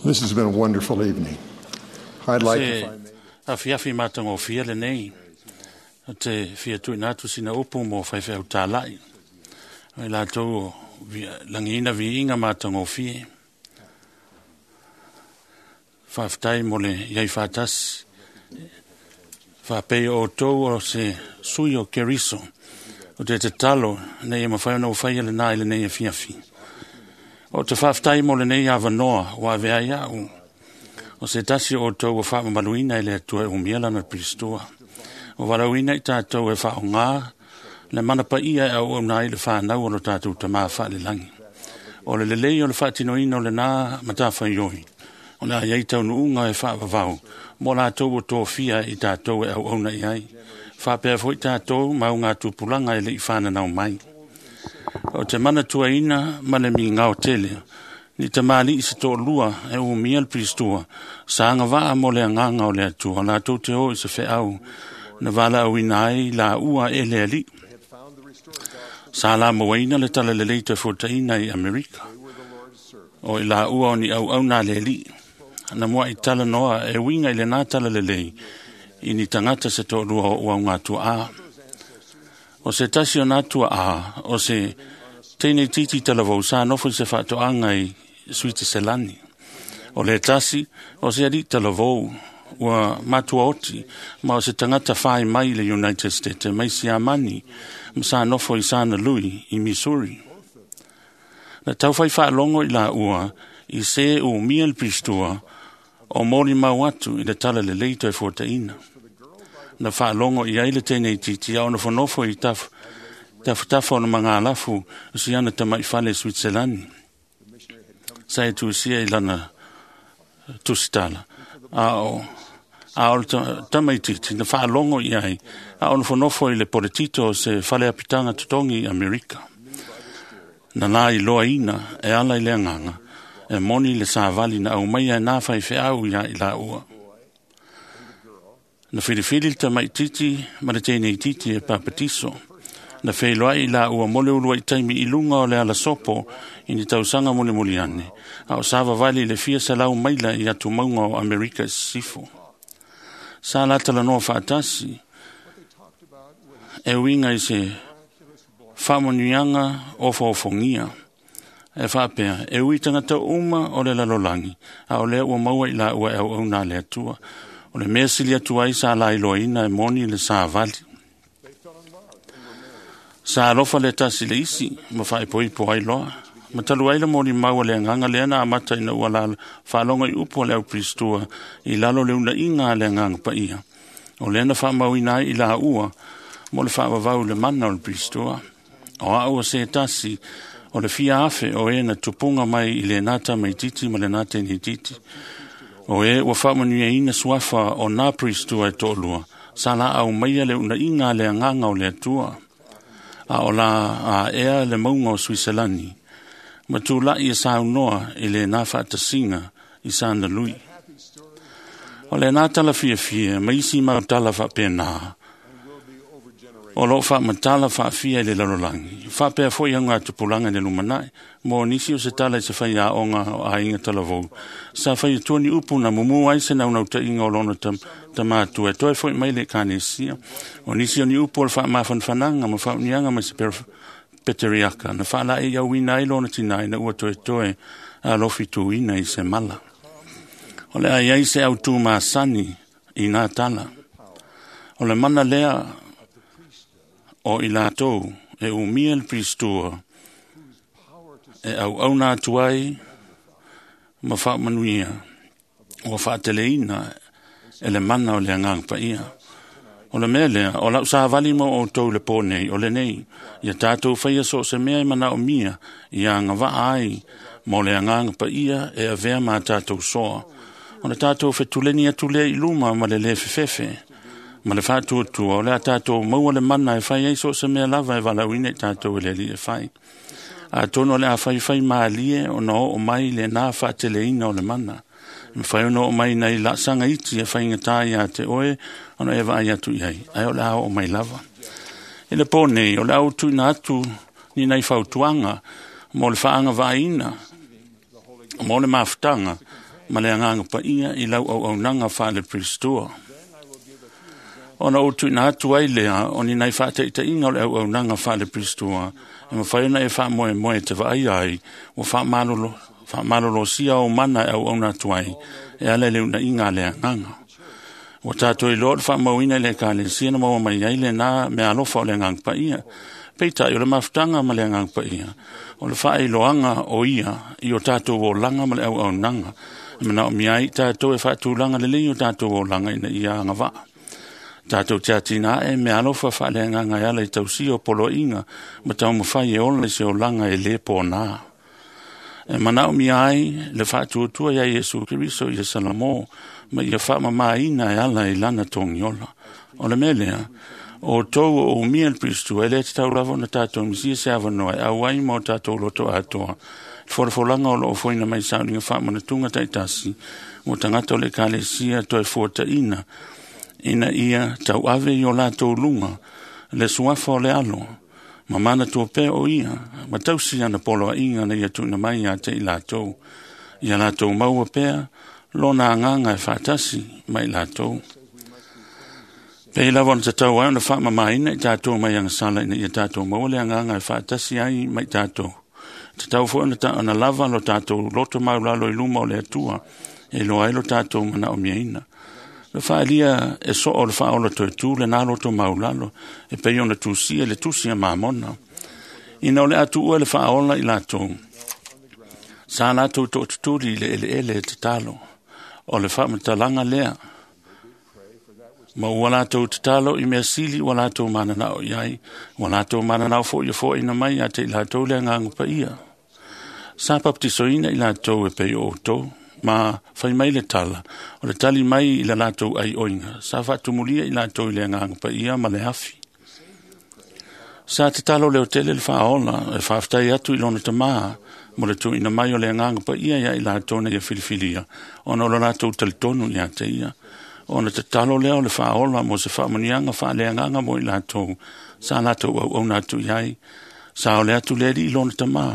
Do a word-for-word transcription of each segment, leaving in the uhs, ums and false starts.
This has been a wonderful evening. I'd like Se if I may, afiafi matagofie lenei o te fia tuuina atu sina upu mo faifeau tāla'i o i latou o via- lagiina viiga matagofie. Faafetai mo le iai faatasi faapei o outou o se sui o Keriso o te tatalo ina ia mafai ona ou faia lenā i lenei afiafi. O te faafetai mo lenei avanoa ua avea ai a'u o se tasi o outou ua faamamaluina e le Atua e umia lana Pilistua. Ua valaauina i tatou e faaaogā le mana paia e auauna ai le fanau o lo tatou Tamā faalelagi. O le lelei o le faatinoina o lenā matafaioi, o le a i ai taunuuga e faavavau mo latou ua tofia i tatou e auauna i ai. Faapea foi tatou ma augatupulaga e le i fananau mai. O te manatuaina ma le migao tele, ni tamalii se toalua e umia le Pilistua, sa agavaa mo le agaga o le Atua, latou te o i se feau na valaauina ai laua e le Alii. Sa lamauaina le talalelei toe fuataina i Amerika. O i laua o ni auauna a le Alii. Na muai talanoa e uiga i lenā talalelei i ni tagata se toalua o augatuaʻā. O se tasi o nā tuaʻā, o se teine titi talavou sa nofo i se faatoaga i Suitiselani. O le tasi, o se alii talavou ua matuaoti ma o se tagata fai mai i le United States mai Siamani ma sa nofo i Sana Lui i Missouri. Na taufai faalogo i laua i se umia le Pilistua o molimau atu i le talalelei toe fuataina. Na faalogo i ai le teine itiiti a o nofonofo i taf, tafatafa o le magalafu o siana tamaifale i Suitiselani. Sa e tusia i lana tusitala. A o a o le ta- tamaitiiti na faalogo i ai a o nofonofo i le poletito o se faleapitaga totogi i Amerika. Na la iloaina e ala i le agaga e moni le savali na aumaia e nā faifeau ia i laua. Na filifili le tamaitiiti ma le teine itiiti e papatiso. Na feiloai i laua mo le uluai taimi i luga o le alasopo i ni tausaga mulimuli ane, a o savavali i le fia selau maila i atumauga o Amerika i Sisifo. Sa la talanoa faatasi e uiga i se faamanuiaga ofoofogia. E faapea, e ui tagata uma o le lalolagi, a o lea ua maua i laua e auauna a le Atua. O le mea sili atu ai sa lailoaina e moni le savali. Sa alofa le tasi le isi ma faaipoipo ai loa. Ma talu ai le molimau a le agaga lea na amata ina ua lalo faalogo i upu a le au Pilistua i lalo o le unaiga a le agaga paia. O lea na faamauina ai i laua mo le faavavau i le mana o le Pilistua. O au o se tasi o le fia afe o e na tupuga mai i lenā tamaitiiti ma lenā teine itiiti. O e ua faamanuiaina suafa o nā Pilistua e toalua, sa la aumaia le unaiga a le agaga o le Atua. A o la aea le mauga o Suiselani, ma tula'i e saunoa i lenā faatasiga i sana lui. O lenā tala fiafia ma isi mau tala faapena, o loo faamatala faafia i le lalolagi. Faapea foi augatupulaga i le lumanai, mo nisi o se tala i se faiaoga o aiga talavou. Sa fai atua ni upu na mumu ai se naunautaiga o lona tam, tamatua e toe foi mai le Ekalesia. O nisi o ni upu o le faamafanafanaga ma faamanuiaga mai se peteriaka na faalaeiauina ai lona tinā ina ua toetoe alofi tuina i se mala. O le a i ai se autū masani i nā tala. O le mana lea o i latou e umia le Pilistua e auauna atu ai ma faamanuia ua faateleina e le mana o le agaga paia. O le mea lea, o lau savali mo outou i le pō nei, o lenei, ia tatou faia so o se mea e manaomia ia agavaa ai mo le agaga paia e avea ma tatou soa. O le tatou fetuleni atu lea i luma ma le lē fefefe ma le faatuatua o le a tatou maua le mana e fai ai so o se mea lava e valaauina i tatou e le Alii e fai. Atonu o le a faifai malie ona oo mai lenā faateleina o le mana. E mafai ona oo mai nai laasaga iti e faigatā iā te oe ona e vaai atu i ai, ae o le a oo mai lava. I le pō nei, o le a ou tuuina atu ni nai fautuaga mo le faagavaaina mo le mafutaga Ma le agaga paia i lau auaunaga faale-Peristua. Ona ou tuuina atu ai lea o ni nai faataitaiga o le auaunaga faale-Peristua e mafai ona e faamoemoe e te vaaia ai ua faamalolo, faamalolosia ou mana e auauna atu ai e ala i le unaiga a le agaga. Ua tatou iloa o le faamauina i le ekalesia na maua mai ai lena meaalofa o le agaga paia. Peitai o le mafutaga ma le agaga paia, o le faailoaga o ia i o tatou olaga ma le auaunaga, e manaomia ai tatou e faatulaga lelei o tatou olaga ina ia agavaa. Tatou te atinae meaalofa faaleagaga e ala i tausia o poloaiga ma taumafai e ola i se olaga e lē pōnā. E manaomia ai le faatuatua iā Iesu Keriso ia Salamo ma ia faamamaina e ala i lana togiola. O le mea lea, o tou o umia le Peristua, e lē tatau lava ona tatou misia se avanoa e auai ma o tatou loto atoa le folafolaga o loo foina mai sauniga faamanatuga taitasi mo tagata o le ekalesia toe fuataina ina ia tauave i o latou luga le suafa o le alo ma manatua pea o ia ma tausi ana poloaiga na ia tuuina mai ia te i latou ia latou maua pea lona agaga e faatasi ma i latou. Pei lava ona tatau ai ona faamamaina i tatou mai agasala ina ia tatou maua le agaga e faatasi ai ma i tatou. Tatau foi ona, ta, ona lava lo tatou loto maulalo i luma o le Atua e iloa ai lo tatou manaomiaina. Le faaalia e soo o le faaola toe tu lena loto maulalo e pei ona tusia le tusi a Mamona. Ina o le a tuua le faaola i latou, sa latou tootutuli i le eleele e tatalo. O le faamatalaga lea, ma ua latou tatalo i mea sili ua latou mananao i ai, ua latou mananao foi ia foaina mai ia te i latou le agaga paia. Sa papatisoina i latou e pei o outou, ma fai mai le tala, o le tali mai i la latou aioiga, sa faatumulia i latou i le agaga paia ma le afi. Sa tatalo leo tele le faaola e faafetai atu i lona tamā mo le tuuina mai o le agaga paia ia i latou na ia filifilia, ona o lo latou talitonu ia te ia. Ona tatalo lea o le faaola mo se faamuniaga faaleagaga mo i latou sa latou auauna atu i ai. Sa ole atu le alii lona tamā,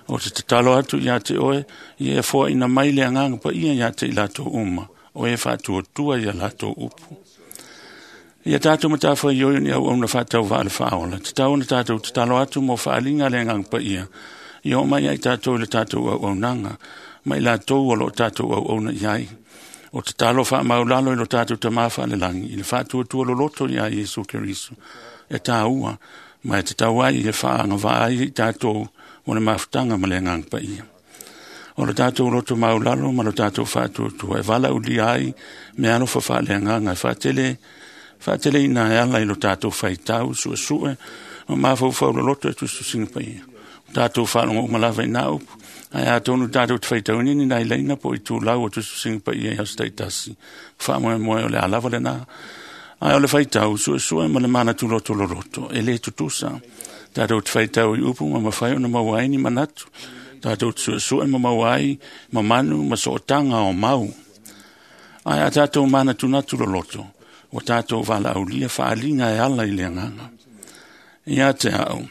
o te tatalo atu ia te oe, ia e foaina mai le agaga paia ia te i latou uma, o e faatuatua ia latou upu. Ia tatou matafaioi ni auauna faatauvaa le faaola, tatau ona tatou tatalo atu mo faaliga le agaga paia, ia oo mai ai tatou i le tatou auaunaga, ma i latou o loo tatou auauna i ai. O tatalo faamaulalo i lo tatou tamā faalelagi, i le faatuatua loloto ia Iesu Keriso, e tāua, ma e tatau ai e faaagavaa ai i tatou mo le mafutaga ma le agaga paia. O lo tatou loto maulalo ma lo tatou faatuatua e valaulia ai meaalofa faaleagaga e faatele faateleina e ala i lo tatou faitau suesue ma mafaufau loloto e tusitusiga paia. O tatou faalogo uma lava i nā upu, ae atonu tatou te faitauina ni nai laina po o itulau o tusitusiga paia i aso taitasi. Faamoemoe o le a lava lenā. Ae o le faitau suesue ma le manatu loto loloto e lē tutusa. Tatou te faitau i upu ma mafai ona maua ai ni manatu. Tatou te suesue ma maua ai mamanu ma sootaga o mau. Ae a tatou manatunatu loloto, ua tatou valaaulia faaliga e ala i le agaga. Ia te au,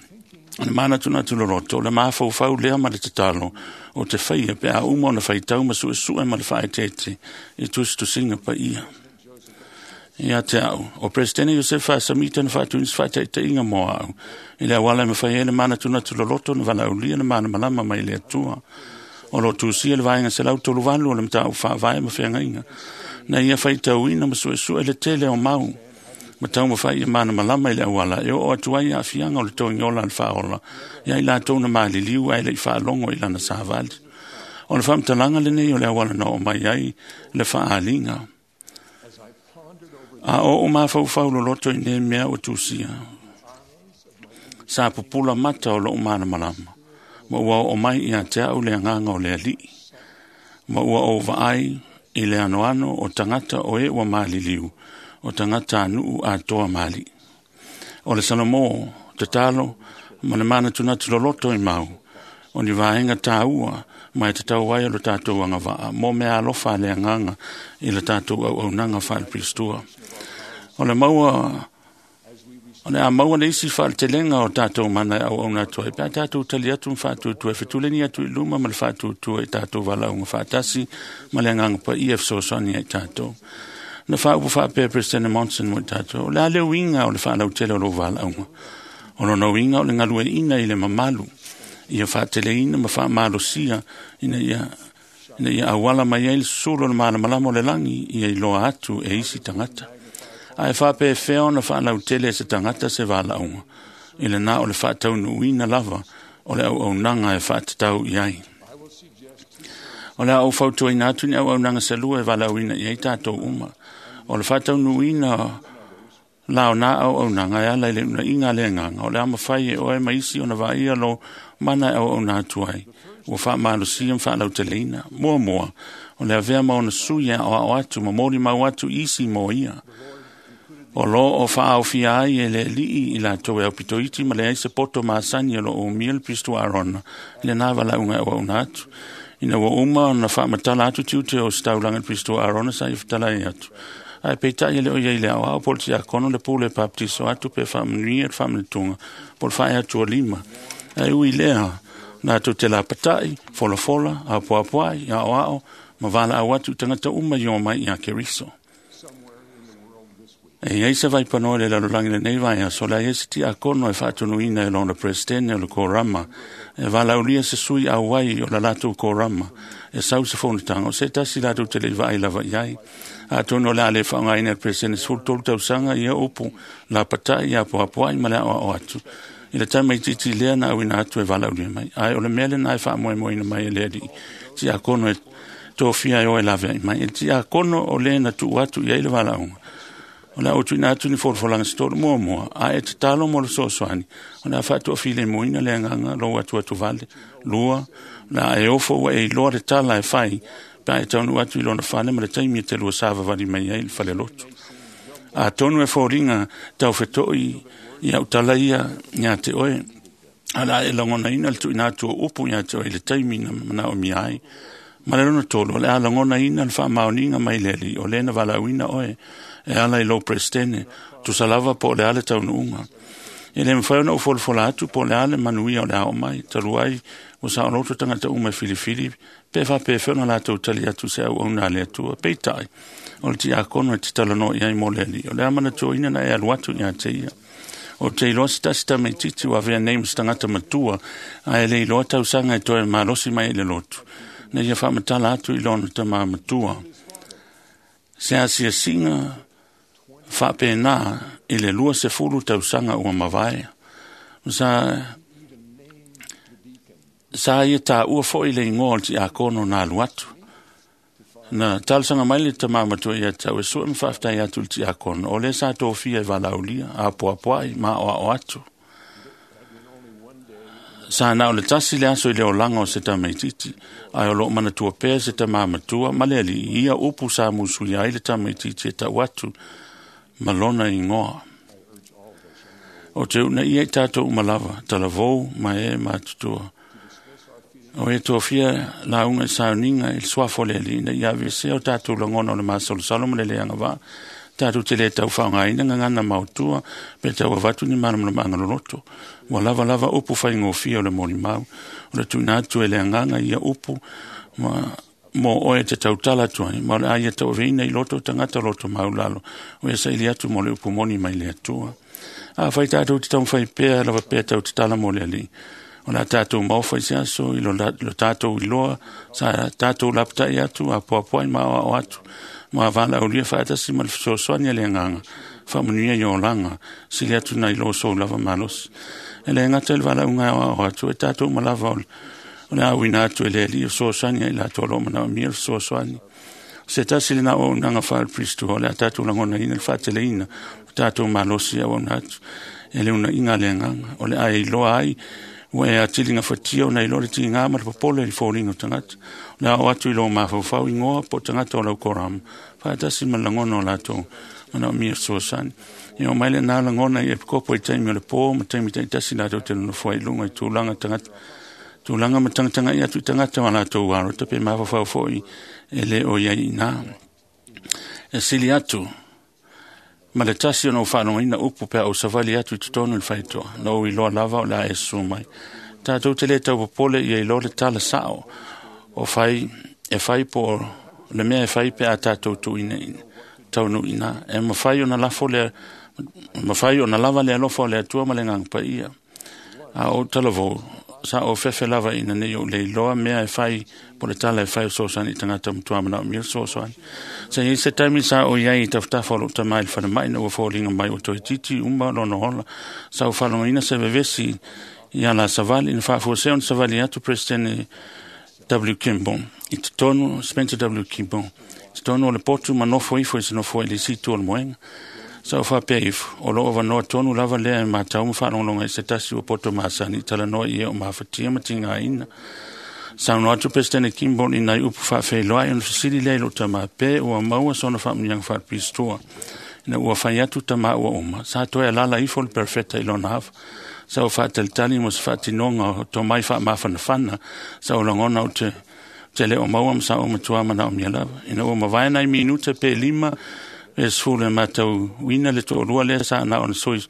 o le manatunatu loloto, o le mafaufau lea ma le tatalo o te faia pe a uma ona faitau ma suesue ma le faaeteete i tusitusiga paia. Ia te au, o Presidente Iosefa Samita na faatuina se faataitaiga mo au, i le auala e mafai ai le manatunatu loloto na valaaulia le malamalama mai le Atua. O lo tusia le vaega selau tolu valu o le mataupu faavae ma feagaiga, na ia faitauina ma suesue le tele o mau, ma taumafai ia malamalama i le auala e oo atu ai aafiaga o le togiola a le faaola ia i latou na maliliu ae le i faalogo i lana savali. O le faamatalaga lenei o le auala na oo mai ai le faaaliga. A o ou mafaufau loloto i nei mea ua tusia, sa pupula mata o lou malamalama, ma ua oo mai ia te au le agaga o le alii, ma ua ou vaai i le anoano o tagata o e ua maliliu, o tagata a nuu atoa mali. O le Salomō, tatalo ma le manatunatu loloto i mau, o ni vaega tāua ma e tatau ai o lo tatou agavaa mo mea alofa a le agaga i le tatou auaunaga faale-Peristua. O le maua O le a maua le isi fa'aletelega o tatou mana e auauna atu ai pe a tatou tali atu ma fa'atuatua e fetuleni atu i luma ma le fa'atuatua i tatou valaauga fa'atasi ma le agaga paia e fesoasoani ai tatou. Na fa'aupu fa'apea Peresetene Monson mo i tatou, o le a le uiga o le fa'alautele o lou valaauga. O lona uiga o le galue'ina i le mamalu, ia fa'ateleina ma fa'amalosia ina ia ina ia auala mai ai le susulu o le malamalama o le lagi ia iloa atu e isi tagata. Ae fa'apefea ona fa'alautele e se tagata se valaauga, i lena o le fa'ataunuuina lava o le auaunaga e fa'atatau i ai. O le a ou fautuaina atu ni auaunaga salua e valaauina i ai tatou uma. O le fa'ataunuuina la o nā auaunaga e ala i le uunaiga a le agaga, o le a mafai e oe ma isi ona va'aia lou mana e auauna atu ai, ua fa'amalosia ma fa'alauteleina. Muamua, o le avea ma ona sui e a'oa'o atu ma molimau atu i isi mo ia. O loo o fa'aaofia ai e le ali'i i latou e aupitoiti ma leai se poto masani o lo'o umia le Pisto Arona i lenā valaauga e auauna atu. Ina ua uma ona fa'amatala atu tiute o se taulaga i le Pisto Arona sa ia fetalai atu. Ae peita'i e le o iai le aoao po o le tiakono le pule e papatiso atu pe fa'amanuia le fa'amanatuga po o le fa'ae atu o lima. Ae ui lea, latou te lapata'i, folafola, apoapoa'i, a'oa'o ma valaau atu i tagata uma i o mai iā Keriso. E iai se vaipanoa i le lalolagi lenei vaiaso, o le a iai se tiakono e fa'atonuina e lona peresetene o le korama, e valaulia se sui auai o la latou korama, e sau se fonotaga, o se tasi latou te le'i va'ai lava i ai. Atonu o le a le fa'aaogāina e le peresetene sefulu tolu tausaga ia upu lapata'i apoapoa'i ma le a'oa'o atu. I le taima itiiti lea na auina atu e valaulia mai. Ae o le mea lenā e fa'amoemoeina mai e le ali'i tiakono e tofia e o e lavea'i mai. E le tiakono o lē na tu'u atu i ai le valaauga. O le a ou tu'uina atu ni folafolaga se tolu muamua, a e tatalo mo le fesoasoani, o le a fa'ato'afilemuina le agaga lou atuatu vale. Lua, o le a e ofo ua e iloa le tala e fai, pe a e taunuu atu i lona fale ma le taimi e te lua savavali mai ai i le falelotu. Atonu e foliga taufeto'i i a'u tala ia iā te oe, a o le a e lagonaina le tu'uina atu o upu iā te oe i le taimi na mana'omia ai. Ma le lona tolu, o le a lagonaina le fa'amaoniga mai le alii o lē na valaauina oe e ala i lou peresetene, tusa lava po o le a le taunuuga. E lē mafai ona ou folafola atu po o le a le manuia o le a oo mai, talu ai ua saoloto tagata uma e filifili pe fa'apefea ona latou tali atu se auauna a le Atua. Peita'i, o le tiakono e te talanoa i ai mo le alii, o le a manatuaina na e alu atu iā te ia. O te iloa se tasi tamaitiiti ua avea nei ma se tagata matua, ae le iloa tausaga e toe malosi mai ai le lotu, na ia fa'amatala atu i lona tamā matua. Se asiasiga fa'apēnā i le lua sefulu tausaga ua mavae. Sa sa ia tāua fo'i le igoa o le tiakono na alu atu. Na talosaga mai le tamā matua ia tau e su'e ma fa'afetai atu i le tiakono, o lea sa tofia e valaulia, apoapoa'i ma a'oa'o atu. Sa na o le tasi le aso i le olaga o se tamaitiiti, ae o lo'o manatua pea se tamā matua ma le ali'i ia upu sa musuia ai le tamaitiiti e ta'u atu ma lona igoa. O te u'unaia i tatou uma lava, talavou ma e matutua. O e tofia lauga i sauniga i le suafa o le alii ina ia aveesea o tatou lagona o le masalosalo ma le le agava'a, tatou te lē taufa'aaogāina gagana maotua pe tau avatu ni malamalamaaga loloto. Ua lava lava upu faigofie o le molimau, o le tu'uina atu e le agaga ia upu ma mo oe te tautala atu ai, ma o le a ia tauaveina i loto o tagata loto maulalo, o ia saili atu mo le upu moni mai le Atua. Afai tatou te taumafai pea lava pea tau tatala mo le alii, o le a tatou maofa i se aso i lo, lo tatou iloa, sa tatou lapata'i atu, apoapoa'i ma aoa'o atu, ma valaaulia fa'atasi ma le fesoasoani a le agaga, fa'amanuia i olaga, sili atu nai lo sou lava malosi. E le gata i le valaauga e aoa'o atu, e tatou uma lava o le o le auina atu e le alii o fesoasoani ai latou o lo'o mana'omia le fesoasoani. Se tasi lenā o auaunaga fa'ale-Pirisito, o le a tatou lagonaina le fa'ateleina o tatou malosi e auauna atu e le uunaiga a le agaga, o le a e iloa ai ua e atili gafatia ona iloa le tigā ma le popole i le foliga o tagata. O le a oo atu i lou mafaufau igoa po o tagata o lau korama, fa'atasi ma le lagona o latou mana'omia fesoasoani. Ia o mai lenā lagona i epikopo i taimi o le pō ma taimi ta'itasi latou te nonofo ai i luga i tulaga tagata tulaga ma tagataga'i atu i tagata o a latou alota pe mafaufau fo'i e lē o iai inā. E sili atu Ma le tasi ona ou faalogoina upu pe a ou savali atu i totonu i le faitoa, na ou iloa lava o le a e susu mai. Tatou te le taupopole ia iloa le tala sao o fai, e fai po o le mea e fai pe a tatou tuuina taunuuina. E mafai ona lafo le, mafai ona lava le alofa o le Atua ma le Agaga Paia. A ou talavou, sa ou fefe lava ina nei ou le iloa mea e fai po le tala e fai o fesoasoani i tagata matua manaomia le fesoasoani. Sa i ai se taimi sa ou i ai i tafatafa o lou tama i le falemai na ua foliga mai ua toeitiiti uma lona ola. Sa ou faalogoina se vevesi ia la savali na faafuasea ona savali atu President W. Kimball i totonu, Spencer W. Kimball, i totonu o le potu ma nofo ifo i se nofoa i le isi itu o le moega. Sa ou faapea ifo, o loo avanoa tonu lava lea e matau ma faalogologo i se tasi ua poto masani i talanoa i e o mafatia ma tigaina. Saunoa atu Peresetene Kimball i nai upu faafeiloai ona fesili lea i lou tama pe ua maua sona faamuniaga faapistoa. Ina ua fai atu tama ua uma, sa toe alala ifo le perfeta i lona ava. Sa ou faatalitali mo se faatinoga o tomai faamafanafana, sa ou lagona ou te te le o maua ma sa ou matua manaomia lava. Ina ua mavae nai minute pe lima, pe sefulu e matauina le toalua lea sa na ona soi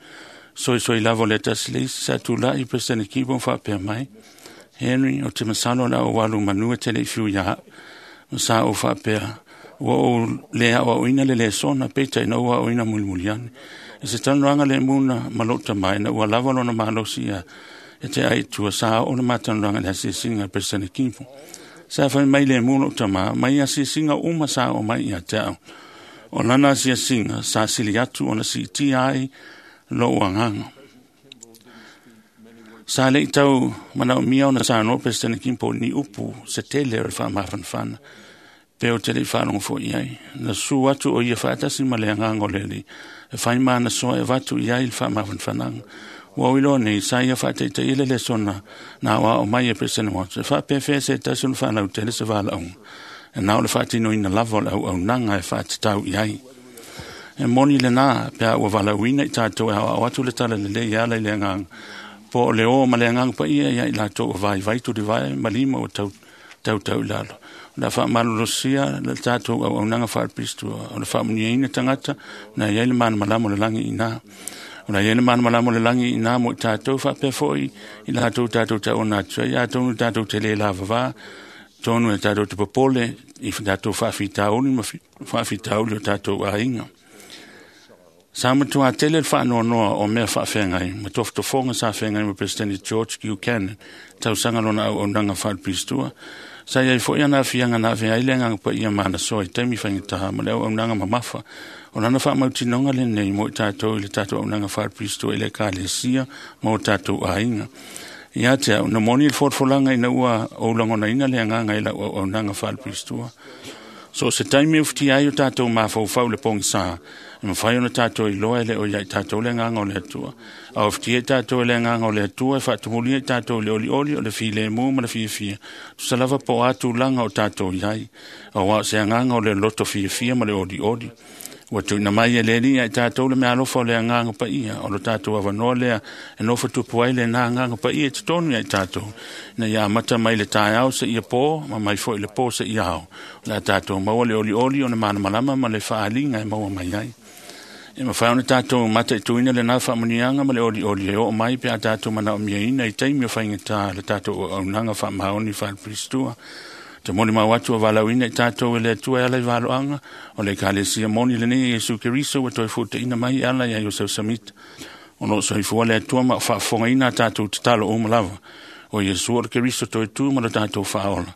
soisoi lava o le tasi le isi, sa tulai Peresetene Kimball faapea mai, Henry, o te masalo le au alu manu e te le i fiu ia au. Ma sa ou faapea, ua ou le aoaoina le lesona, peitai na ou aoaoina mulimuli ane. E se talanoaga le muna ma lou tama ina ua lava lona malosi ia e te ai i tua, sa oo le matalanoaga i le asiasiga a Peresetene Kimball. Sa fai mai le mu lou tama, mai asiasiga uma sa oo mai ia te au. O lana asiasiga sa sili atu ona siitia ai lou agaga. Sa le i tau manaomia ona saunoa Peresetene Kimball ni upu se tele o le faamafanafana, pe o te le i faalogo foi i ai. Na susu atu o ia faatasi ma le agaga o le Alii, e fai ma ana soa e avatu i ai le faamafanafanaga. Ua ou iloa nei, sa ia faataitaia le lesona na aoao mai e Peresetene Watson, e faapefea se tasi ona faalautele se valaauga, e na o le faatinoina lava o le auaunaga e faatatau i ai. E moni lena pe a ua valaauina i tatou e aoao atu le tala lelei e ala i le agaga, po o le o ma le Agaga Paia ia i latou ua vaivai tulivae ma lima ua tau tautau i lalo. O le a faamalolosia le tatou auaunaga faalepilistua, o le faamuniaina tagata na i ai le malamalama o le lagi i ina. O la i ai le malamalama o le lagi i ina mo i tatou faapea foi i latou tatou tauona atu ai, atonu tatou te le lavavā, tonu e tatou te popole i tatou faafitauli ma faafitauli o tatou aiga. Sa matua tele le faanoanoa o mea faafeagai ma tofotofoga sa feagai ma Peresetene George Buchanan, tausaga lona auaunaga faalepilistua. Sa i ai foi ana afiaga na avea ai le Agaga Paia ma ana soa i taimi faigata ma le auaunaga mamafa. O lana faamautinoga lenei mo i tatou i le tatou auaunaga faalepilistua i le Ekalesia ma o tatou aiga. Ia te au, na moni le folafolaga ina ua ou lagonaina le agaga i lau auaunaga faalepilistua. So se taimi e ufitia ai o tatou mafaufau le pogisa, e mafai ona tatou iloa e le o ia i tatou le agaga o le Atua. A ufitia i tatou e le agaga o le Atua, e faatumulia i tatou i le olioli o le filemu ma le fiafia, tusa lava po o a tulaga o tatou i ai, aua o se agaga o le loto fiafia ma le olioli. Ua tuuina mai e le Alii ia i tatou le meaalofa o le Agaga Paia, o lo tatou avanoa lea e nofo tupu ai lena Agaga Paia i totonu ia i tatou, ina ia amata mai le taeao seia po, ma mai foi le po seia ao. O le a tatou maua le olioli o le malamalama ma le faaaliga e maua mai ai. E mafai ona tatou mataituina lena faamuniaga ma le olioli e oo mai pe a tatou manaomiaina i taimi o faigata le tatou auaunaga faamaoni faalepilistua. Te molimau atu o valaauina i tatou e le Atua e ala i valoaga, o le Ekalesia moni lenei e Iesu Keriso ua toe fuataina mai e ala ia Iosef Samita. O loo soifua le Atua ma o faafofogaina a tatou tatalo uma lava. O Iesu o le Keriso toe tu ma lo tatou faaola.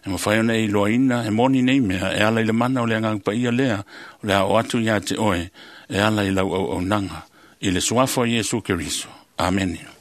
E mafai ona e iloaina e moni nei mea e ala i le mana o le Agaga Paia lea o le a oo atu ia te oe e ala i lau auaunaga i le suafa o Iesu Keriso. Amene.